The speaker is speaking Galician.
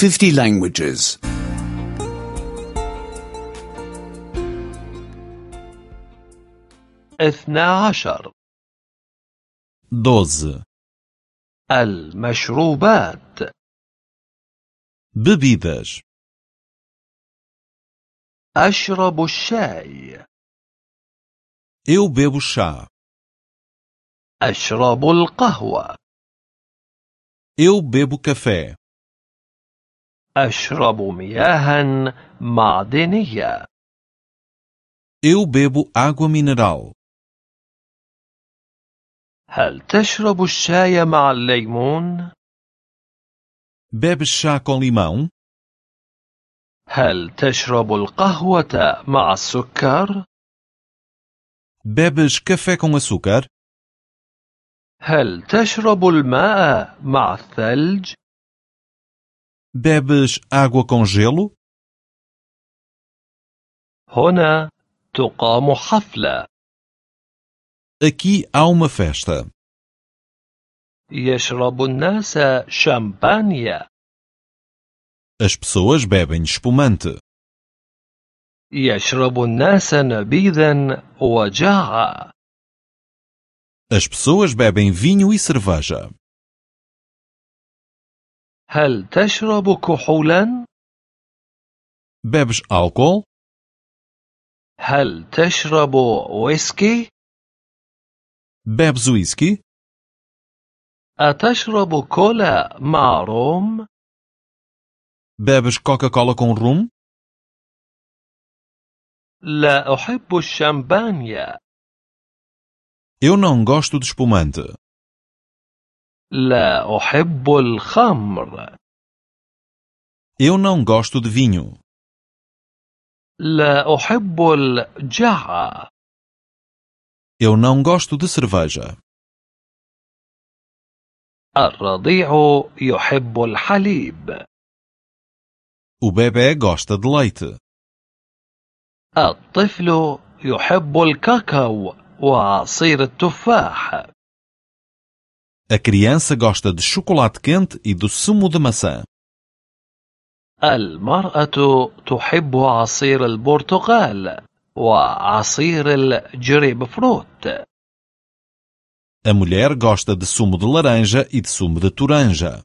50 languages. 12. 12. المشروبات. Bebidas. أشرب الشاي. Eu bebo chá. أشرب القهوة. Eu bebo café. أشرب مياها معدنية. Eu bebo água mineral. هل تشرب الشاي مع الليمون؟ Bebes chá com limão? هل تشرب القهوة مع السكر؟ Bebes café com açúcar? هل تشرب الماء مع الثلج؟ Bebes água com gelo? هنا تقام حفلة. Aqui há uma festa. يشرب الناس شامبانيا. As pessoas bebem espumante. يشرب الناس نبيذا وجاعة. As pessoas bebem vinho e cerveja. هل تشرب كحولا؟ Bebes álcool? هل تشرب ويسكي؟ Bebes whisky? أتشرب كولا مع روم؟ Bebes Coca-Cola com rum? لا أحب الشامبانيا. Eu não gosto de espumante. لا أحب الخمر. Eu não gosto de vinho. لا أحب الجعة. Eu não gosto de cerveja. الرضيع يحب الحليب. O bebê gosta de leite. الطفل يحب الكاكاو وعصير التفاح. A criança gosta de chocolate quente e do sumo de maçã. المرأة تحب عصير البرتقال وعصير الجريب فروت. A mulher gosta de sumo de laranja e de sumo de toranja.